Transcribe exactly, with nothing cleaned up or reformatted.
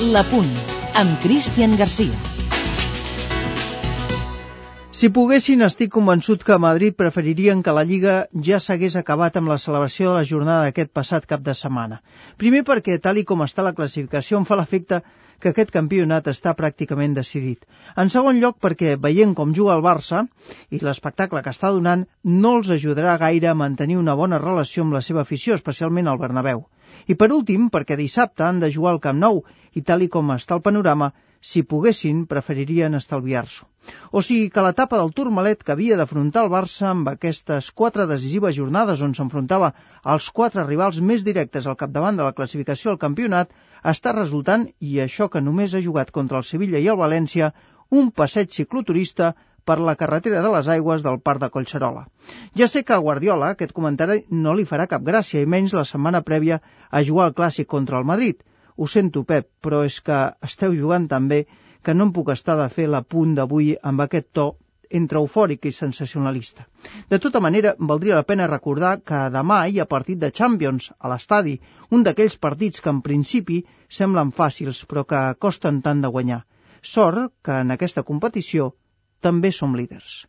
La Punt, amb Cristian Garcia. Si poguessin, estic convençut que a Madrid preferirien que la Lliga ja s'hagués acabat amb la celebració de la jornada d'aquest passat cap de setmana. Primer perquè, tal i com està la classificació, em fa l'efecte que aquest campionat està pràcticament decidit. En segon lloc, perquè veient com juga el Barça i l'espectacle que està donant, no els ajudarà gaire a mantenir una bona relació amb la seva afició, especialment al Bernabéu. I per últim, perquè dissabte han de jugar al Camp Nou i tal i com està el panorama, si poguessin, preferirien estalviar-s'ho. O sigui que l'etapa del Tourmalet que havia d'afrontar el Barça amb aquestes quatre decisives jornades on s'enfrontava als quatre rivals més directes al capdavant de la classificació al campionat està resultant, i això que només ha jugat contra el Sevilla i el València, un passeig cicloturista per la carretera de les aigües del Parc de Collserola. Ja sé que a Guardiola aquest comentari no li farà cap gràcia, i menys la setmana prèvia a jugar al Clàssic contra el Madrid. Ho sento, Pep, però és que esteu jugant tan bé que no em puc estar de fer l'apunt d'avui amb aquest to entre eufòric i sensacionalista. De tota manera, valdria la pena recordar que demà hi ha partit de Champions a l'estadi, un d'aquells partits que en principi semblen fàcils però que costen tant de guanyar. Sort que en aquesta competició també som líders.